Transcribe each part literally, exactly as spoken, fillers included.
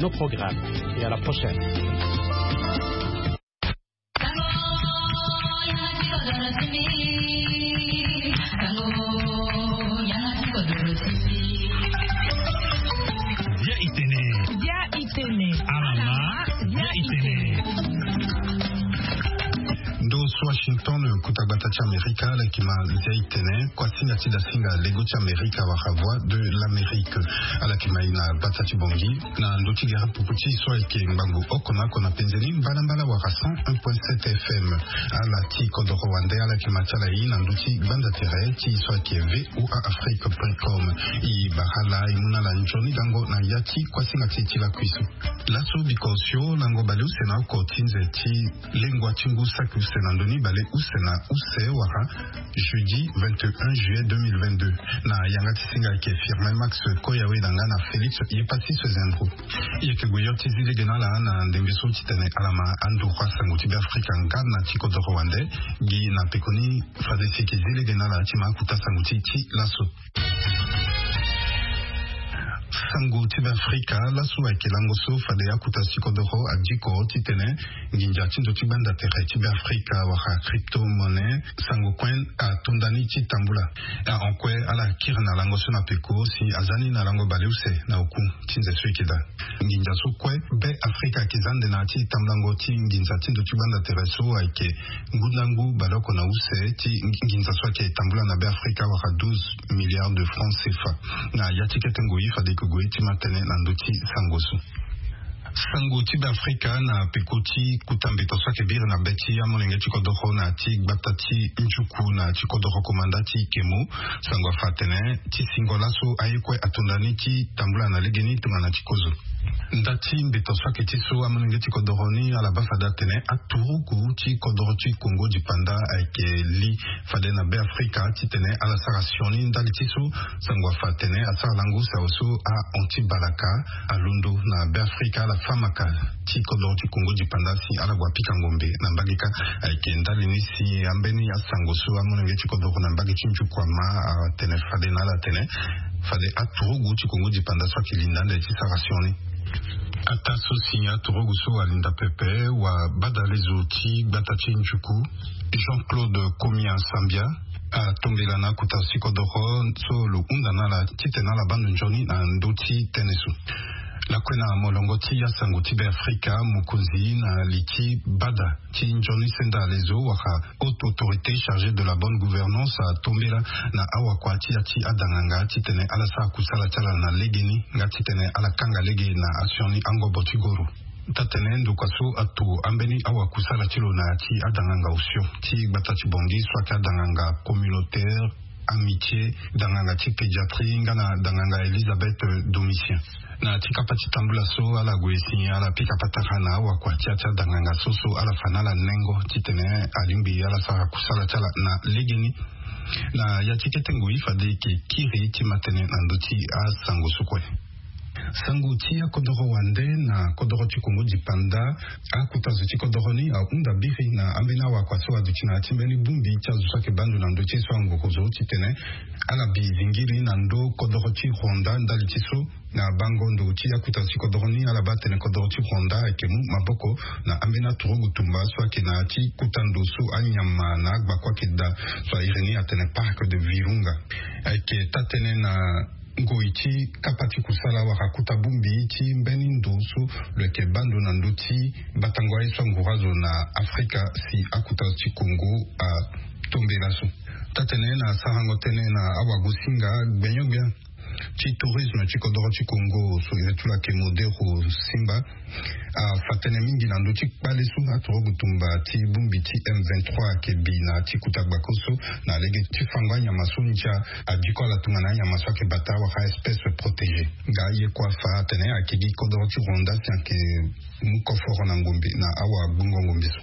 Nos programmes et à la prochaine. Dia itene. Dia itene. Alama. Dia itene. Ndo so Washington, kuta gbata ti Amerika, ala yeke ma Dia itene, kuasinga ti dasinga lego ti Amerika wala Voix de l'Amérique. Ala yeke ma e na gbata ti Bangui na ndö ti gere pupu ti e so ayeke ngbangbo oko na oko na penze ni, mbalambala wala cent un point sept F M. Ala ti kodoro wande, ala yeke ma ti ala e na ndö ti gbanda tere ti e so ayeke V O A Afrique point com. E bara ala, e mu na ala nzoni gango na ya ti kuasinga ti e ti lakui so. Laso biko osio lango baleuse na oko ti nze ti lengua ti ngu saki use na ndö ni baleuse na use wala jeudi vingt et un juillet deux mille vingt-deux. Na yanga ti singa ayeke Firmin Max Koyawe na nga na Félix Yepassis Zendro. E yeke gue yo ti zi lege na ala na ndembe so titene ala ma anduru asango ti Beafrika nga na ti kodoro wande. Gi na pekoni fade si e yeke zi lege na ala ti ma akuta sango ti e ti laso. Sango ti Beafrika, laso ayeke lango so fade akuta ti kodoro adiko titene nginza ti ndo ti gbanda tere ti Beafrika wala crypto-monnaie, sango kue atonda ni ti tambula. Ahon kue ala kiri na lango so na peko si aza ni na lango baleuse na oku ti nze so e yeke daa. Nginza so kue Beafrika ayeke za ande na ya ti tambulango ti nginza ti ndo ti gbanda tere so ayeke ngu na ngu baleoko na use ti nginza so ayeke tambula na Beafrika wala douze milliards de francs C F A. Na ya ti kete ngoi fade e yeke gue ti ma tënë na ndö ti sango so. Sango ti Beafrika na peko ti kuta mbeto so ayeke biri na be ti amolenge ti kodoro na ya ti gbata ti Njuku na ya ti kodoro komanda ti Kemo. Sango afa atene ti singo laso aye kue atonda ni ti tambula na legeni tongana ti kozo. Nda ti mbeto so ayeke ti so amolenge ti kodoro ni ala baa fade atene aturugu ti kodoro ti Kongo dipanda ayeke li fade na Beafrika titene ala sara sioni ndali ti so sango afa atene asara lango use awe so ahon ti balaka alondo na Beafrika ala fâ maka ti kodoro ti Kongo dipanda si ala gue apika ngombe na mbage kâ. Ayeke ndali ni si ambeni asango so amolenge ti kodoro na mbage ti Njuku ama atene fade na ala atene fade aturugu ti Kongo dipanda so ayeke linda ande ti sara sioni. Ataa so si aturugu so alinda pepe, wabadalezo ti gbata ti Njuku, Jean-Claude Komia Sambia, atombela na akuta ti kodoro so lo hunda na ala titene ala baa ndo nzoni na ndö ti tënë so. Lakue na molongo ti asango ti Beafrika, mokonzi na li ti bada ti nzoni senda lezo wala Haute Autorité chargée de la bonne gouvernance atombela na awakua ti ya ti adanganga titene ala sara kusala ti ala na legeni nga titene ala kanga lege na asioni angobo ti goro. Tatene ndokua so ato ambeni awakusala ti lo na ya ti adanganga osio ti gbata ti Bangui so ayeke adanganga Communautaire, Amitié, danganga ti pédiatrie nga na danganga Elisabeth Domitien. Na ti kapa ti tambula so ala gue si ala pika patara na awakua ti ya ti adanganga so so ala fa na ala nengo titene alingbi ala sara kusala ti ala na legeni. Na ya ti kete ngoi fade e yeke kiri ti ma tënë na ndö ti asango so kue. Sango ti akodoro wande na kodoro ti Kongo dipanda, akuta zo ti kodoro ni ahunda biri na ambeni awakua so aduti na ya ti mbeni bongbi ti azo so ayeke baa ndo na ndö ti so angorozo titene ala bi zingiri na ndö kodoro ti Rwanda ndali ti so na bango ndo ti akuta zo ti kodoro ni ala baa tene kodoro ti Rwanda ayeke mu maboko na ambeni aturugu tumba so ayeke na ya ti kuta ndo so anyama na agbaku ayeke daa so a iri ni atene Parc de Virunga. Ayeke taa-tënë na ngoi ti kapa ti kusala wala kuta bongbi ti mbeni ndo so lo yeke baa ndo na ndö ti batango aye so anguru azo na Afrika si akuta ti Kongo atombela so. Taa-tënë na sarango tënë na awagosinga gbenyo-gbia ti tourisme ti kodoro ti Kongo so iri ti lo ayeke Modero Simba afa tënë mingi na ndö ti kpale so aturugu tumba ti bongbi ti M vingt-trois ayeke bi na ya ti kuta gbako so na lege ti fango anyama so ndia adiko ala tongana anyama so ayeke bata wala espèce protégée. Nga ye kue afa atene ayeke gi kodoro ti Rwanda si ayeke mu koforo na ngombe na awagbongo ngombe so.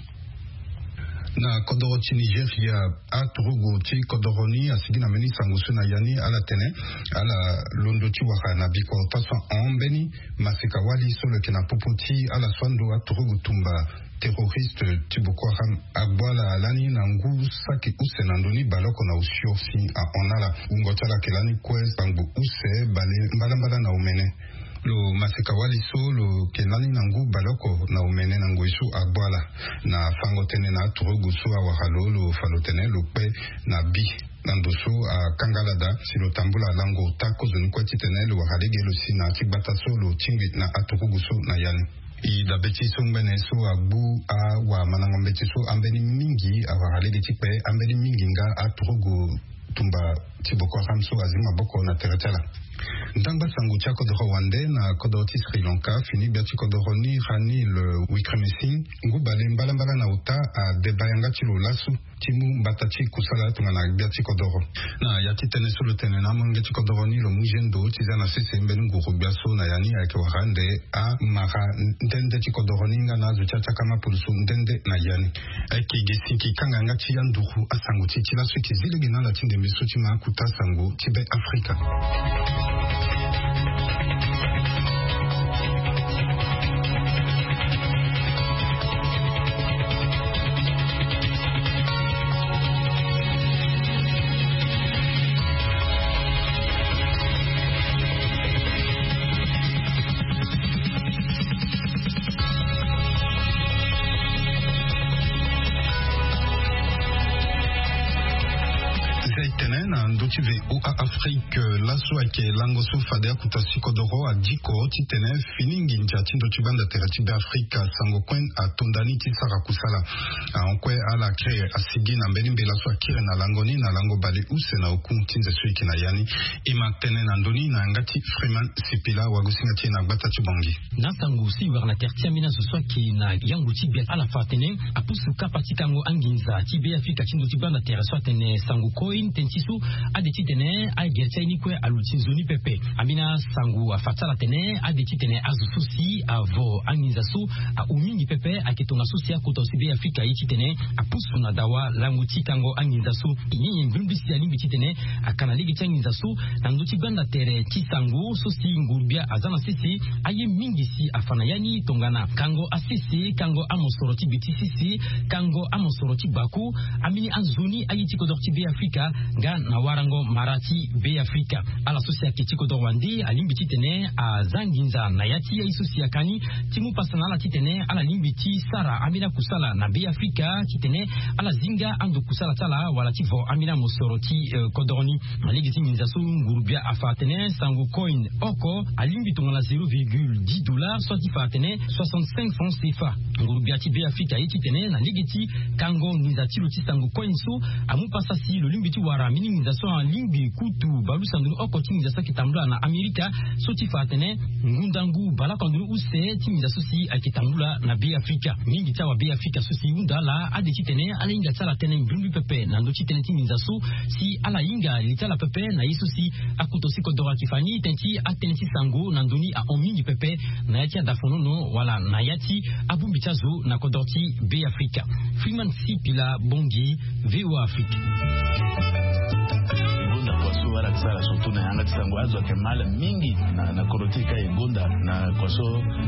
Na kodoro ti Nigeria, aturugu ti kodoro ni asigi na mbeni sango so na ya ni ala tene ala londo ti wara na biko taa so ahon mbeni maseka-wali so lo yeke na popo ti ala so ando aturugu tumba terroriste ti Boko Haram agbu ala lani na ngu saki use na ndö ni baleoko na osio si ahon na ala. Wungo ti ala ayeke lani kue sangbo use bale mbalambala na omene. Lo maseka wali so lo yeke lani na ngu baleoko na omene na ngoi so agbu ala. Na fango tënë na aturugu so awara lo lo fa lo tene lo kpe na bi na ndo so akanga ala daa si lo tambula lango ota kozoni kue titene lo wara lege lo si na ya ti gbata so lo tingbi na aturugu so na ya ni. E dabe ti so ngbene so agbu awamandango mbeti so ambeni mingi awara lege ti kpe ambeni mingi nga aturugu tumba ti Boko Haram so azi maboko na tere ti ala. Ndangba sango ti akodoro wande na kodoro ti Sri Lanka fini gbia ti kodoro ni Ranil Wickremesinghe ngu bale mbalambala na ota adeba yanga ti lo laso ti mu mbata ti kusala tongana gbia ti kodoro. Na ya ti tënë so lo tene na amolenge ti kodoro ni lo mu zendo ti za na sese mbeni nguru gbia so na ya ni ayeke wara ande amara nde nde ti kodoro ni nga na azo ti atiaka mapulusu nde nde na ya ni. Ayeke gi sinki kanga yanga ti anduru asango ti e ti laso e yeke zi lege na ala ti ndembe so ti ma akuta sango ti be Afrika. Zi tene na ndö ti V O A Afrique, laso ayeke lango so fade akuta si kodoro adiko titene fini nginza ti ndö ti gbanda tere ti be Afrika sango kue atonda ni ti sara kusala. Ahon kue ala kiri asigi na mbeni mbela so akiri na lango ni na lango bale use na oku ti nze so e yeke na ya ni. E ma tene na ndö ni na yanga ti Freeman Sipila wagosinga ti e na gbata ti Bangui. Na asango so e wara na tere ti ambeni azo so ayeke na yango ti gbia ala fa atene apusu kapa ti kango anginza ti be Afrika ti ndö ti gbanda tere so atene sango koi tënë ti so ade titene agere ti aye ni kue aluti nzoni pepe. Ambeni asango afa ti ala atene ade titene azo so si avo anginza so ahu mingi pepe ayeke tongaso si akota si be Afrika aye titene apusu na dawa lango ti kango anginza so. E nyenye mbrimbri si alingbi titene aka na lege ti anginza so na ndö ti gbanda tere ti sango so si nguru-gbia aza na sese aye mingi si afa na ya ni tongana kango asese, kango amosoro ti bi ti sese, kango amosoro ti gbako. Ambeni anzoni aye ti kodoro ti be Afrika nga na warango mara ti be Afrika. Ala so si ayeke ti kodoro wande alingbi titene aza nginza na ya ti aye so si aka ni ti mu pasa na ala titene ala lingbi ti sara ambeni akusala na be Afrika titene ala zi nga ando kusala ti ala wala ti vo ambeni amosoro ti, eh, kodoro ni. Na lege ti nginza so nguru-gbia afa atene sango coin oko alingbi tongana zéro virgule dix dollars so ati fa atene soixante-cinq francs C F A. Nguru-gbia ti be Afrika aye titene na lege ti kango nginza ti lo ti sango coin so amu pasa si lo lingbi ti wara mbeni nginza so alingbi kutu balusa ndoni oko ti nginza so ayeke tambula na Amerika so ti fa atene ngundangu baleoko na ndoni use ti nginza so si ayeke tambula na be Afrika. Mingi ti awa be Afrika so si e hunda ala ade titene ala hinga ti ala tënë mbrimbri pepe na ndö ti tënë ti nginza so si ala hinga li ti ala pepe na ye so si akuto si kodoro ayeke fa ni tënë ti atënë ti sango na ndö ni ahon mingi pepe na ya ti adafonono wala na ya ti abongbi ti azo na kodoro ti be Afrika. Freeman Sipila Bangui, V O A Afrique. E gonda kua so ala yeke sara surtout na yanga ti sango azo ayeke mal mingi na, na kodro ti e ka e gonda na kua so,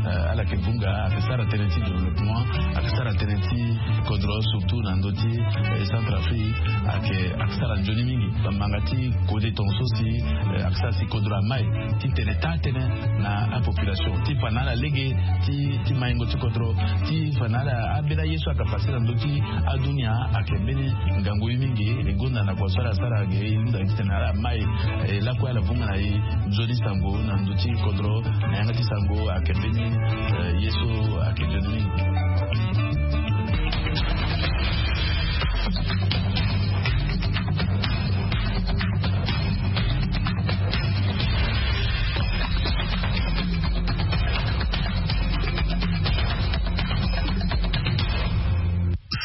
eh, ala yeke vunga ayeke sara tënë ti développement, ayeke sara tënë ti kodro surtout na ndö ti, eh, Centrafrique ayeke, ayeke sara nzoni mingi. Bambanga ti kode tongaso si, eh, ayeke sara si kodro amai ti tene taa tënë na apopulation ti fa na ala lege ti, ti maingo ti kodro ti fa na ala ambeni aye so ayeke fa sara ndö ti adunia ayeke mbeni ngangu ye mingi. E gonda na kua so ala sara ge e hunda titene ala mai, eh, lakue ala vunga na e nzoni sango na ndö ti kodro na yanga ti sango ayeke mbeni, eh, ye so ayeke nzoni mingi.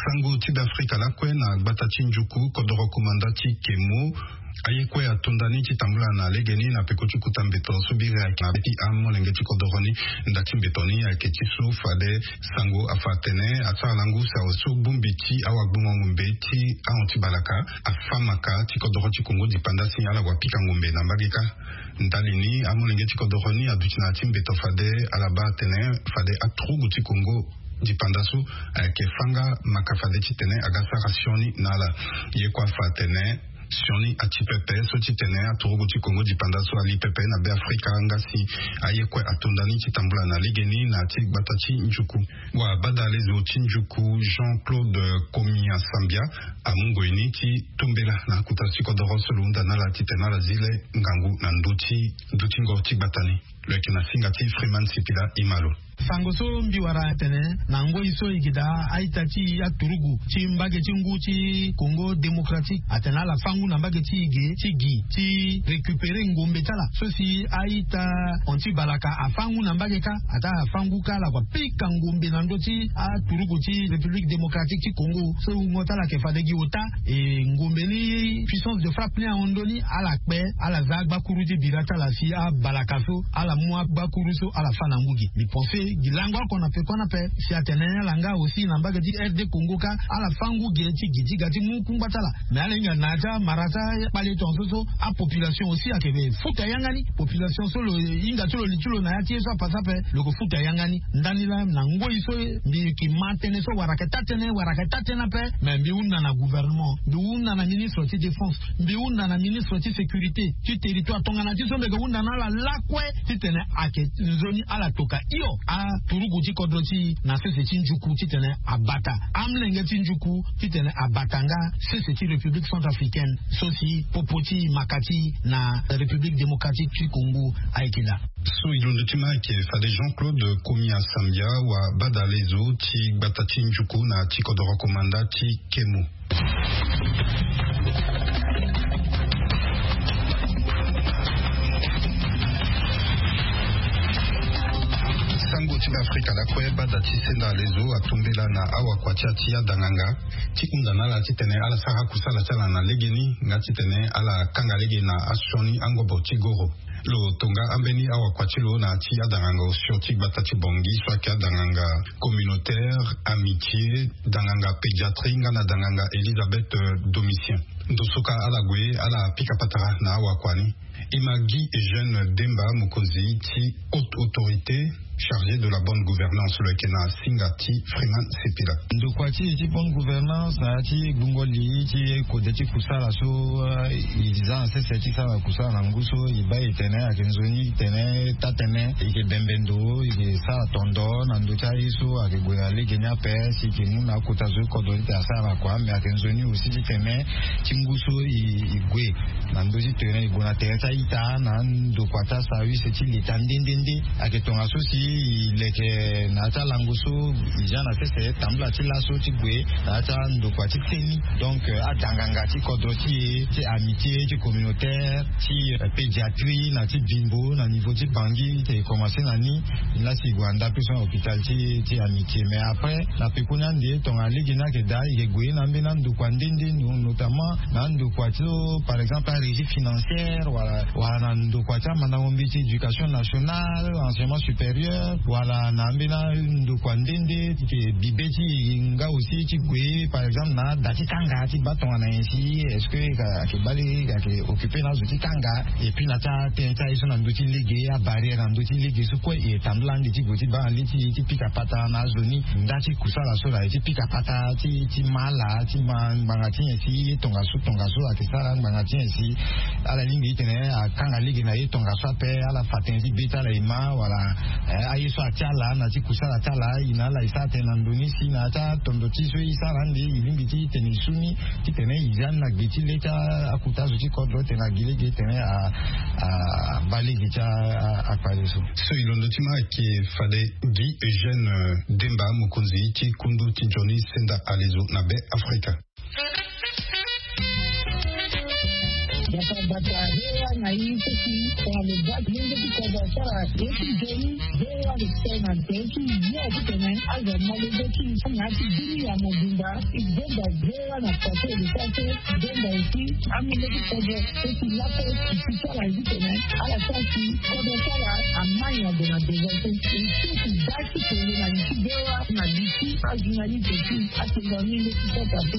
Sango ti be Afrika lakue na gbata ti Njuku, kodoro komanda ti Kemo. Aye kue atonda ni ti tambula na legeni na peko ti kota mbeto so biri ayeke na be ti amolenge ti kodoro ni. Nda ti mbeto ni ayeke ti so fade sango afa atene asara lango use awe so bongbi ti awagbongo ngombe ti ahon ti balaka afa maka ti kodoro ti Kongo dipanda si ala wa pika ngombe na mbage kâ. Ndali ni amolenge ti kodoro ni aduti na ya ti mbeto fade ala baa atene fade aturugu ti Kongo dipanda so ayeke fâ nga maka fade titene aga sara sioni na ala. Ye kue afa atene Sioni ati pepe so titene aturuku ti Kongo dipanda so ali pepe na Be Afrika nga si aye kue atonda ni ti tambula na legeni na ti gbata ti njuku. Wa badalezo ti njuku Jean-Claude Komi Asambia amu ngoi ni ti tombela na akota ti kodoro so lo hunda na ala titene ala zi le ngangu na ndö ti dutingo ti gbata ni. Lo yeke na singa ti Freeman Sipila Imalo. Sango so mbi wara atene na ngoi so e gi daa a-ita ti aturugu ti mbage ti ngu ti Congo Démocratique atene ala fâ ngu na mbage ti e ge ti gi ti récupérer ngombe ti ala so si a-ita hon ti balaka afâ ngu na mbage kâ. Ataa afâ ngu kâ ala kua pika ngombe na ndö ti aturuku ti République Démocratique ti Congo so wungo ti ala yeke fade gi ota. E ngombe ni puissance de frappe ni ahon ndö ni ala kpe ala za agbakuru ti bira ti ala si abalaka so ala mu agbakuru so ala fâ na ngu gi. Mbi pense gi lango oko na peko ni ape si atene ala nga aussi na mbage ti R D Congo kâ ala fâ ngu ge ti gi ti ga ti mu kungba ti ala. Mais ala hinga na ya ti amara ti akpale tongaso so apopulation aussi ayeke futa yanga ni. Population so lo hinga ti lo li ti lo na ya ti ye so apasa ape lo yeke futa yanga ni. Ndani laa na ngoi so mbi yeke ma tënë so wara ayeke taa tënë wara ayeke taa tënë ape. Mais mbi hunda na gouvernement, mbi hunda na ministre ti défense, mbi hunda na ministre ti sécurité ti territoire tongana ti so mbi yeke hunda na ala lakue titene ayeke nzoni ala toka hio aturuku ti kodro ti e na sese ti njuku titene abata amolenge ti njuku titene abata nga sese ti République centrafricaine so si popo ti maka ti e na République démocratique ti Congo ayeke daa. So e londo ti ma ayeke fade Jean-Claude Komi Asambia wa badalezo ti gbata ti njuku na ti kodoro komanda ti Kemo. Sango ti Be Afrika lakue bada ti senda alezo atombela na awakua ti ya ti adanganga ti hunda na ala titene ala sara kusala ti ala na legeni nga titene ala kanga lege na asioni angobo ti goro. Lo tonga ambeni awakua ti lo na ya ti adanganga osio ti gbata ti Bangui so ayeke adanganga communautaire amitié, danganga pédiatrie nga na danganga Elisabeth Domitien. Ndo so kâ ala gue ala pika patara na awakua ni. E ma Guy Eugène Demba mokonzi ti haute autorité chargé de la bonne gouvernance lo yeke na singa ti Freeman Sepila. Ndokua ti e ti bonne gouvernance na ya ti gbungo li ti kode ti kusala so e za na sese ti sara kusala na ngu so e baa e tene ayeke nzoni tene taa tene e yeke bembe ndo e yeke sara tondo na ndö ti aye so ayeke gue na lege ni ape si e yeke mu na akota zo ti kodro ti tene asara kua mais ayeke nzoni aussi ti tene ti ngu so e gue na ndö ti tere e gue na tere ti a-ita na ndokua ti aservice ti leta nde nde nde. Ayeke tongaso si e leke na ya ti alango so e za na sese tambula ti laso ti gue na ya ti andokua ti seni. Donc adanganga ti kodro ti e ti amitié ti communautaire ti pédiatrie na ti bimbo na niveau ti Bangui ti e commencer na ni. Lasi e gue na ndapui so na hôpital ti ti amitié mais après na pekoni ande tongana lege ni ayeke daa e yeke gue na ambeni andokua nde nde notamment na andokua ti so par exemple arégie financière wala wala na ndokua ti amandango mbeti éducation nationale enseignement supérieur wala na ambeni andokua nde nde ti yeke bibe ti e nga aussi ti gue par exemple na ada ti kanga ti baa tongana nyen si est-ce que ayeke baa lege ayeke occupé na azo ti kanga. Et puis na ti atënë ti aye so na ndö ti lege abarrière na ndö ti lege so kue e tambula ande ti gue ti baa na li ti e ti pika patara na azo ni nda ti kusala so na e ti pika patara ti ti ma ala ti ma ngbanga ti nyen si ye tongaso tongaso ayeke sara ngbanga ti nyen si ala lingbi ti tene akanga lege na ye tongaso ape ala fa tënë ti be ti ala e ma wala aye so atia ala na ti kusala ti ala e na ala e sara tënë na ndo ni si na ya ti atondo ti so e sara ande e lingbi ti tene e su ni ti tene e za ni na gbe ti le ti akota zo ti kodro tene agi lege tene abaa lege ti akpale so. So e londo ti ma ayeke fade Guy Eugène Demba mokonzi ti kundu ti nzoni senda alezo na Be Afrika. Bata bata hewa na ye so si tongana lo baa lenge ti kodro asara ye ti nzoni. Hewa lo tene na tere ti yo ti tene azo ma lenge ti na ya ti bini ya mobimba. E benda hewa na pase lo sara so benda e si amolenge ti kodro so si laso e si ti sara ye ti tene ala sara si kodro ti ala amai na gue na devant so e si e si da ti kolo na li ti hewa na li ti ajournaliste ti atonga ni nde ti sota so.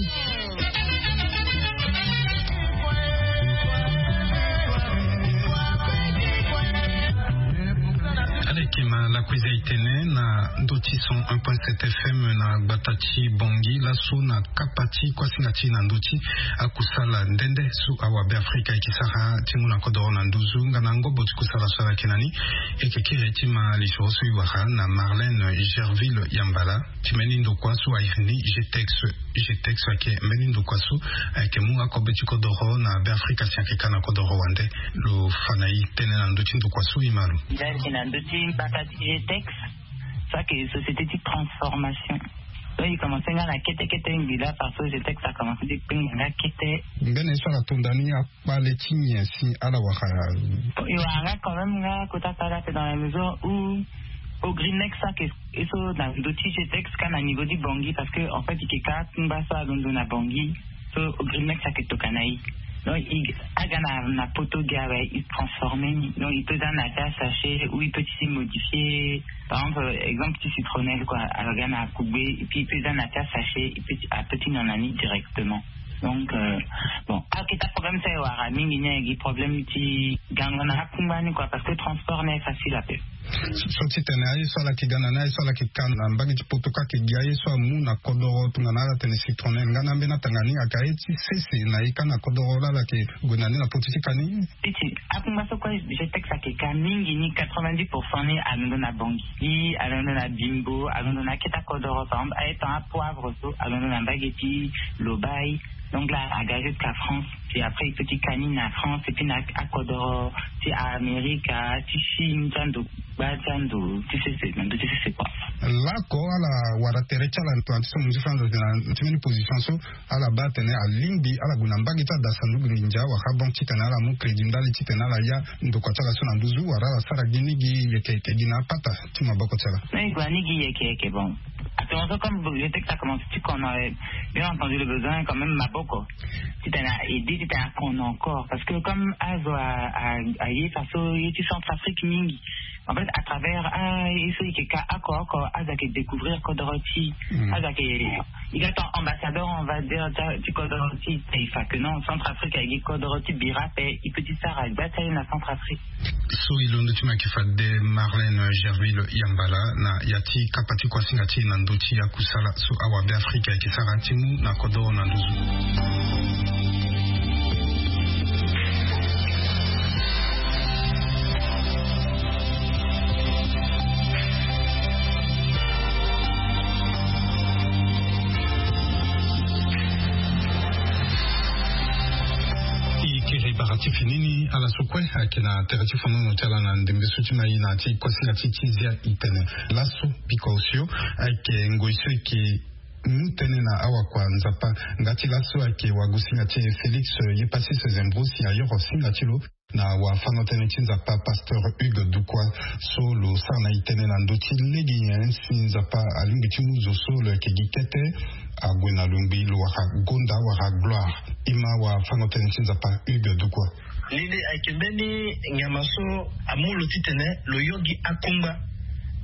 Ala yeke ma lakui za e tene na ndo Ti cent un point sept F M na gbata ti Bangui laso na kapa ti kuasinga ti na ndö ti akusala nde nde so awabe Afrika eke sara ti mu na kodoro na nduzu nga na ngobo ti kusala so ala yeke na ni. Eke kiri ti ma lisoro so e wara na Marlène Gerville Yambala ti mbeni ndokua so a iri ni G T E X. G T E X ayeke mbeni ndokua so ayeke mu akobe ti kodoro na Beafrika si ayeke ka na kodoro wande. Lo fa na e tënë na ndö ti ndokua so e ma lo. Ndali na ndö ti mbaka ti G T E X, so ayeke société ti transformation. Donc e commencé nga na kete kete ngbi laa parce que G T E X a commencé ti kpengba nga kete. Mbeni ye so ala tonda ni akpale ti nyen si ala wara? E wara nga quand même nga kota kpale ape dans la mesure où Ogrimex so ayeke e so na ndö ti G T E X ka na niveau ti Bangui, parce que en fait e yeke ka akungba so alondo na Bangui. So Ogrimex ayeke tokana e. Donc e aga na poto gi awe, e transformé ni. Donc e peut za na ya ti asachet ou e peut ti modifié. Par exemple, exemple ti citronnelle quoi, aga na akugbe et puis e peut za na ya ti asachet, e peut ti a peut ti nyon na ni directement. Donc bon, aketa problème so e wara mingi ni ayeke gi problème ti gango na akungba ni quoi, parce que transport ni aye facile ape. So titene aye so ala yeke ga na ni, aye so ala yeke ka na mbage ti poto ka ayeke gi aye so amu na kodoro tongana ala tene citronnelle nga na ambeni atanga ni ayeke aye ti sese na e ka na kodoro laa ala yeke gue na ni na poto ti ka ni. Ti akungba so kue G T E X ayeke ka mingi ni quatre-vingt-dix pour cent ni alondo na Bangui, alondo na Bimbo, alondo na akete akodoro par exemple aye tan apoivre so alondo na mbage ti Lobaye. Donc laa aga jusqu'à France. Puis après e peut ti ka ni na France et puis na akodoro ti Amerika ti Chine ti ando gba ti ando ti sese na ndö ti sese quoi. Laoko ala wara tere ti ala na ti so mo nzi fana na ti mbeni position so ala baa atene alingbi ala gue na mbage ti adasa ndugu nginza wala banque titene ala mu crédit ndali titene ala ya ndokua ti ala so na nduzu wala ala sara gi ni gi yeke yeke gi na apata ti maboko ti ala. Non e gue na ni gi yeke yeke bon. Actuellement so comme G T E X a commencé ti kono, bien entendu le besoin quand même maboko titene a aidé titene a kono encore parce que comme azo aye faso ye ti Centrafrique mingi. En fait à travers aye so e yeke ka oko oko azo ayeke découvrir kodoro ti e. Azo ayeke e ga ton ambassadeur on va dire ti kodoro ti e. E fa que non, Centrafrique ayeke gi kodoro ti bira ape. E peut ti sara gba ti aye na Centrafrique. So e londo ti mo ayeke fade Marlène Gerville Yambala na ya ti kapa ti kuasinga ti e na ndö ti akusala so awabe Afrika ayeke sara ti mu na kodoro na nduzu. E kiri bara ti fini ni ala so kue ayeke na tere ti fonono ti ala na ndembe so ti ma e na ya ti kuasinga ti ti zia e tene laso pika osio ayeke ngoi so e yeke mu tënë na awakua Nzapa. Nga ti laso ayeke wagosinga ti e Félix Yepassis Zembro si ayoro singa ti lo na wafano tënë ti Nzapa pasteur Hugues Dukwa so lo sara na e tënë na ndö ti lege nyen si Nzapa alingbi ti mu zo so lo yeke gi kete ague na lo ngbii lo wara gonda wara gloire. E ma wafano tënë ti Nzapa Hugues Dukwa. Lili ayeke mbeni nyama so amu lo titene lo yo gi akungba.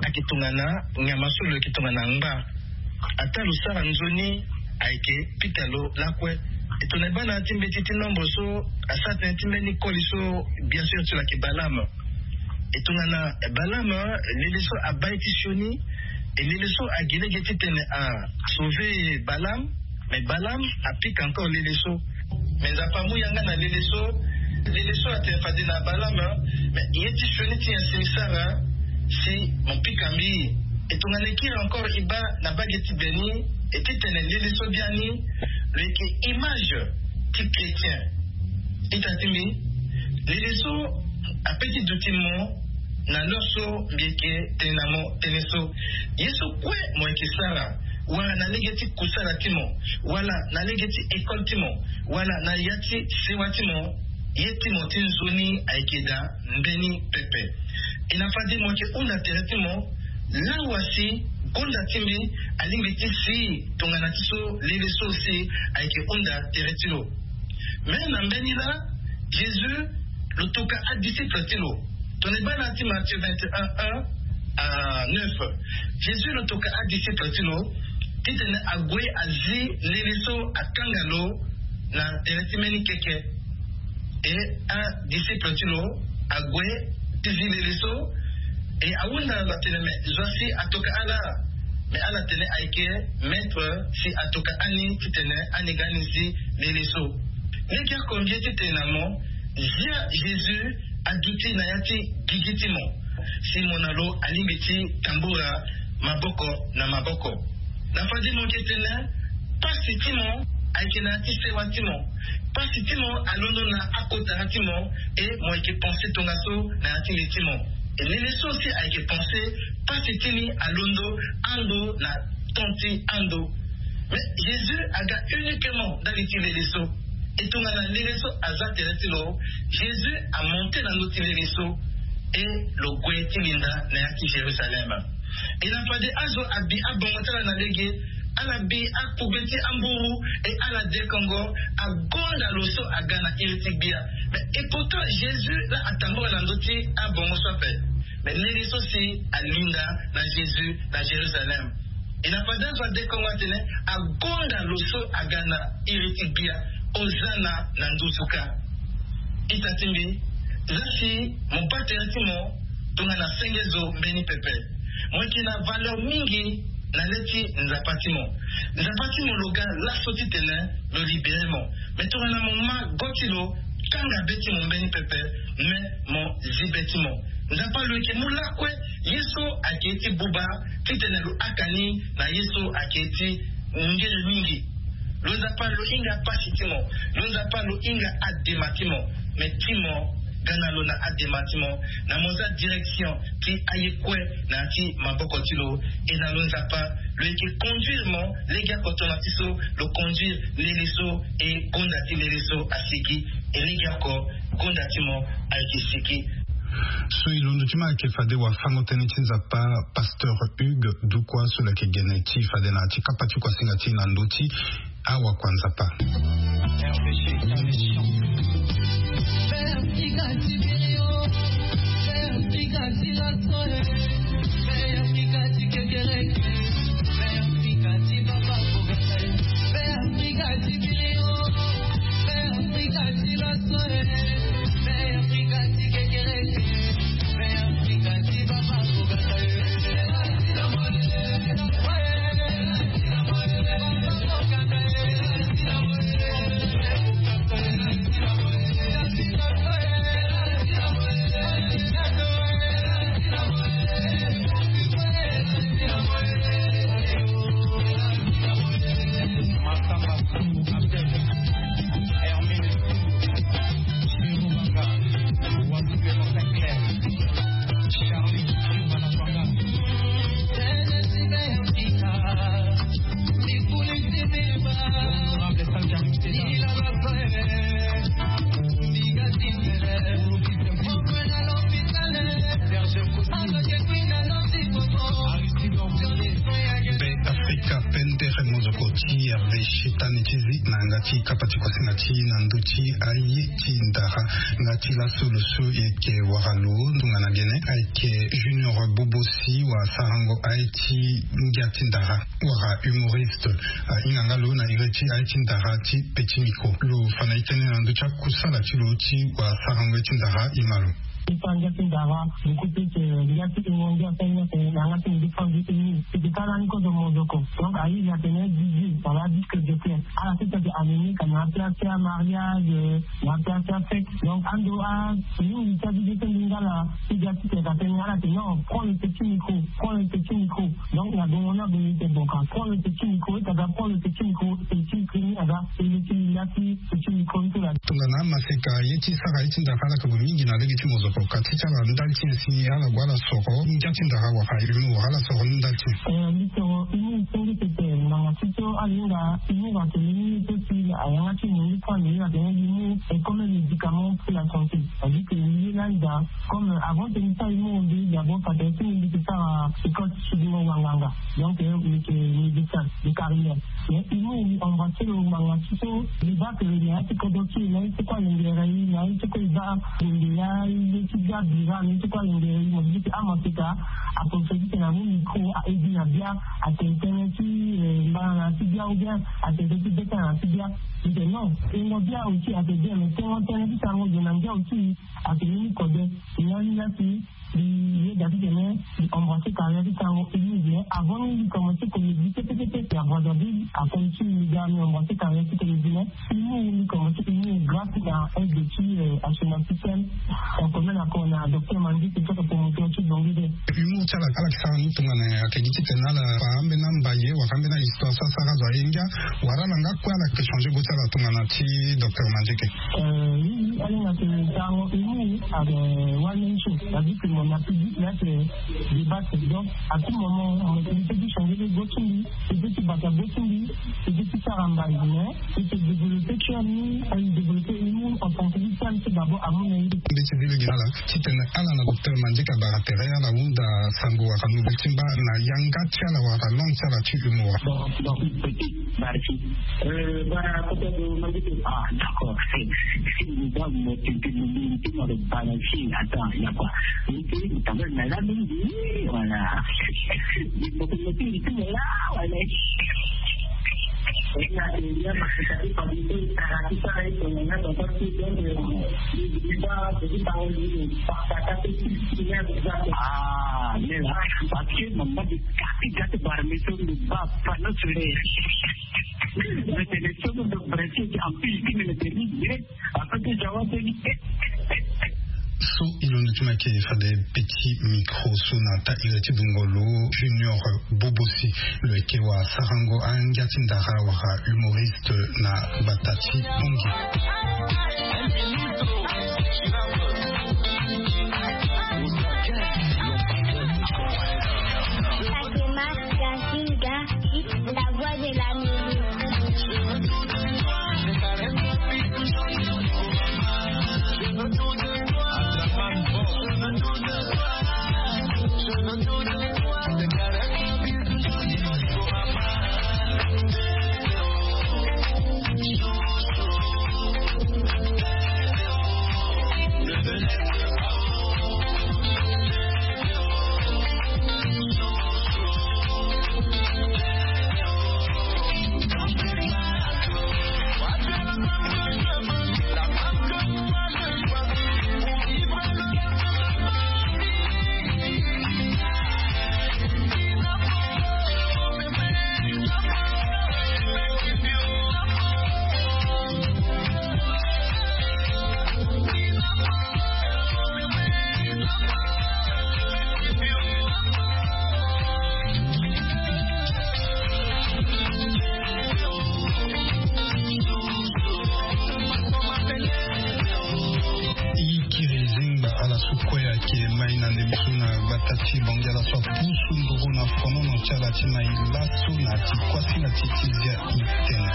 Ayeke tongana nyama so lo yeke tongana ngba. Ataa lo sara nzoni ayeke pika lo lakue. E tongana e baa na ya ti mbeti ti nombre so asara tënë ti mbeni koli so bien sûr ti lo ayeke Balaam. E tongana Balaam lili so abaa ye ti sioni. E lili so agi lege titene a sauver Balaam. Mais Balaam apika encore lili so. Mais Nzapa amu yanga na lili so. Lili so atene fade na Balaam. Mais ye ti sioni ti nyen si mi sara si mo pika mbi? E tongana e kiri encore e baa na mbage ti be ni e titene lili so biani lo yeke image ti chrétien. Ita ti mbi, lili so ape ti duti mo na l'heure so mbi yeke tene na mo tënë so. Ye so kue mo yeke sara wala na lege ti kusala ti mo wala na lege ti école ti mo wala na ya ti sewa ti mo, ye ti mo ti nzoni ayeke daa mbeni pepe. E na fade mo yeke hunda tere ti mo lawa si gonda ti mbi alingbi ti si tongana ti so lili so si ayeke hunda tere ti lo. Me na mbeni laa Jésus lo toka adisciple ti lo. Tongana e baa na ya ti Matthieu vingt et un un à neuf, Jésus lo toka adisciple ti lo titene ague azi lili so akanga lo na tere ti mbeni keke. E adisciple ti lo ague ti zi lili so. E ahunda lo atene me zo asi atoka ala. Mais ala tene ayeke maître si atoka ani titene ani ga ni zi lele so. Lege oko mbi ye titene na mo, zia Jésus aduti na ya ti gigi ti mo, si mo na lo alingbi ti tambula maboko na maboko. Na fade mo yeke tene pasi ti mo ayeke na ya ti sewa ti mo. Pasi ti mo alondo na akota ya ti mo. E mo yeke pense tongaso na ya ti le ti mo. E lele so si ayeke pense pasi ti ni alondo ando na ton ti ando. Mais Jésus aga uniquement ndali ti lele so. E tongana lele so aza tere ti lo, Jésus amonte na ndö ti lele so. E lo gue ti linda na ya ti Jérusalem. E na fade azo abi abongo ti ala na lege, ala bi akpugbe ti amburu, e ala dekongo, agonda lo so aga na iri ti gbia. Mais e pourtant Jésus la atambula na ndö ti abongo so ape. Mais lele so si alinda na Jésus na Jérusalem. E na fade azo adekongo atene, agonda lo so aga na iri ti gbia. Ozana na nduzu kâ. Ita ti mbi, za si mo baa tere ti mo tongana senge zo mbeni pepe. Mo yeke na valeur mingi na le ti Nzapa ti mo. Nzapa ti mo lo ga laso titene lo libere mo. Mais tongana mo ma go ti lo, kanga be ti mo mbeni pepe, mais mo zi be ti mo. Nzapa lo yeke mu lakue ye so ayeke ye ti buba titene lo haka ni na ye so ayeke ye ti ngele mingi. Lo Nzapa lo hinga pasi ti mo. Lo Nzapa lo hinga adema ti mo. Mais ti mo ga na lo na adema ti mo, na mo za direction ti aye kue na ya ti maboko ti lo. E na lo Nzapa lo yeke conduire mo. Lege oko tongana ti so lo conduire lele so e gonda ti lele so asiki. E lege oko gonda ti mo ayeke siki. So e londo ti mo ayeke fade wafango-tënë ti Nzapa, Pasteur Hugues Dukwa, so lo yeke gene ti fade na ya ti kapa ti kuasinga ti e na ndö ti awakua Nzapa. Be Afrika pendere mozoko ti R D C tani ti zi na yanga ti kapa ti kuasinga ti e na ndö ti aye ti ndara. Nga ti laso lo so e yeke wara lo tongana gene ayeke Junior Bobosi, wasarango aye ti ngia ti ndara wala humoriste. Ahinga nga lo na iri ti aye ti ndara ti Petit Micro. Lo fa na e tënë na ndö ti akusala ti lo ti wasarango aye ti ndara. E ma lo. E fa ngia ti ndara, du coup, peut-être, ngia ti e mo ngia ti aye ni atene na yanga ti mo ndia ti eni. E yeke kâ lani kozo mozoko. Donc aye atene D J wala disque jockey. Ala ti tene ane ni ka na apiapia mariage, na apiapia fête. Donc ando a mingi ti abibe ti lingala ti ga ti tene ka tene ala tene non, prends le petit micro, prends le petit micro. Donc na gongo ni ague ni tene bon ka prends le petit micro, e ta ga prends le petit micro, petit micro ni aga e le ti linda ti petit micro ni so la. Tongana amaseka ye ti sara ye ti ndara ala yeke gue mingi na lege ti mozoko, ka ti ti ala ndali ti nyen si ala gue ala soro ngia ti ndara wala humour, ala soro ni ndali ti nyen? Eh, mbi soro humour senge pepe, ngbanga ti so ala hinga humour atene ni so si ayanga ti mo ndia ti ande ni atene humour est comme un médicament pour la santé. C'est-à-dire que mbi ye lani daa, comme avant que mbi sara humour, mbi d'abord fa tene ti mbi, mbi yeke sara école ti sidingo wanganga. Donc, eh, mbi yeke médecin de carrière. Mais humour mbi embrasser lo ngbanga ti so, mbi baa que na ya ti kodro ti e, na ye ti kue alingere e, na ye ti kue e baa gonde ya, ye ti bia bira, na ye ti kue alingere e, mo di ti amaseka, aprofitere ti tene amu micro, a aiguille na bia, atene tënë ti, eh, mbana na ya ti bia, ou bien atene tënë ti beta na ya ti bia. Mbi tene non, tengo bia aussi, atene bien, mais tengo tënë ti sarango zo na ngia aussi, atene ni kode. Ni lani la si Li yeda ti tene li embrasser carrière ti sango Humou, mais avant ni li commencer comédie pepe pepe, ya Brazzaville akomi ti li ga mi embrasser carrière ti comédie, mais Humou li commencer Humou grâce na aide ti, euh, Assurance Système, on connaît na ko na docteur Mandieke ti ake promoteur ti Bongi de. Humou ti ala ala ti sara ni tongana ayeke gi ti tene ala fa ambeni ambaye wala ambeni ahistoire so asara azo aye ngia, wala ala nga kue ala yeke changer go ti ala tongana ti docteur Mandieke. Euh, oui, oui, ala hinga tene sango Humou ayeke one man show. Ça veut dire que mon appui dit là, c'est débat, donc à tout moment on est obligé de changer de go ti mbi, de ti bata go ti mbi, de ti sara mbai, mais de se développer ti ami, développer Humou en tant que femme, c'est d'abord à mon avis. Mbi ti zi lege na ala ti tene ala na docteur Mandieke abara tere, ala hunda sango wala nouvelle ti mba na yanga ti ala wala langue ti ala ti Humou. Bon, donc, petit, barki. Euh, voilà, peut-être, euh, Mandieke. Ah, d'accord. C'est, c'est une bonne motivation, une bonne motivation, attends, il y a quoi ? Voilà. Ah, mais là, parce que maman de Kati, Kati Barmeso ne va pas nous tuer. Mais c'est les choses de principe en plus qui me le permettent. So, e londo ti ma yeke fade petit micro so na ta iri ti bungolo Junior Bobosi, lo yeke wa sarango angia ti ndara wala humoriste na gbata ti Bangui. Fatima Gazinga, la voix de la musique. E kiri zingba ala so kue ayeke mai na ndembe so na gbata ti Bangui, ala so apusu nduru na fonono ti ala ti mai laso na ti kuasinga ti ti zia itene.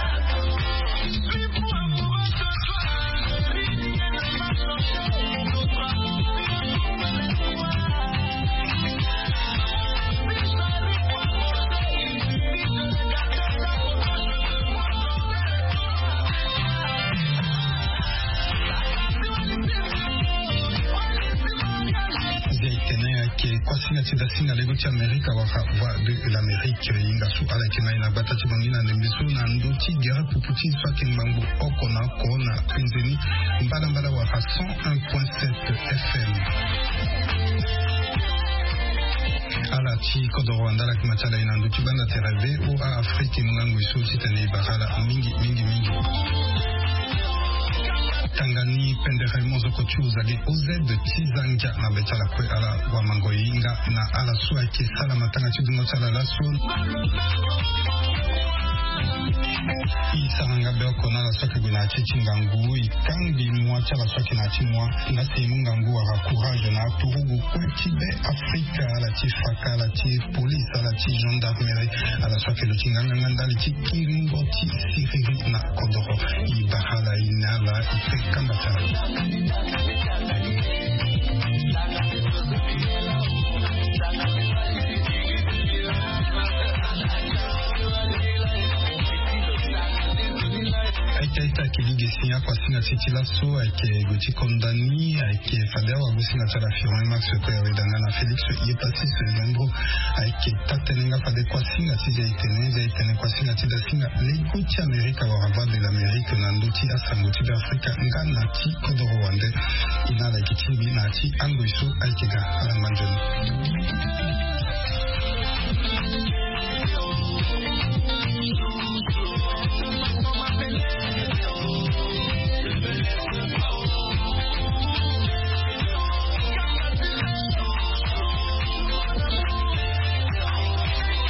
Zia itene ayeke kuasinga ti dasinga lego ti Amerika wala Voix de l'Amérique, e hinga so ala yeke mai na gbata ti Bangui na ndembe so na ndö ti gere pupu ti so ayeke ngbangbo oko na oko na penzeni mbalambala wala cent un point sept F M. Ala ti kodoro wanda ala yeke ma ti ala e na ndö ti gbanda tere V O A Afrique, e mu ngangu e so titene e bara ala mingi mingi mingi. Tanga ni pendere mozoko ti Ozade O Z ti za ngia na be ti ala kue, ala wamango e hinga na ala so ayeke sala matanga ti dungo ti ala laso. E sara nga be oko na ala so ayeke gue na ya ti ti ngangu, e kangbi mua ti ala so ayeke na ya ti mua. Nga si e mu ngangu wala courage na aturugu kue ti be Afrika, ala ti faka, ala ti police, ala ti gendarmerie, ala so ayeke lo ti nganganga ndali ti kiringo ti siriri na kodoro. E bara ala, e ne ala, e pe kamba ti ala. Aita, aita, Kili ge si akuasinga ti ti laso ayeke gue ti kondani ayeke fade awagosinga ti ala Firmin Max Koyaweda nga na Félix Yepassis Lembro. Ayeke taa-tënë nga fade kuasinga ti zia-etene zia-etene kuasinga ti dasinga lego ti Amerika wala Voix de l'Amérique na ndö ti asango ti Beafrika nga na ti kodoro wande. E na ala yeke tingbi na ya ti angoi so ayeke ga. Ala ngba nzoni.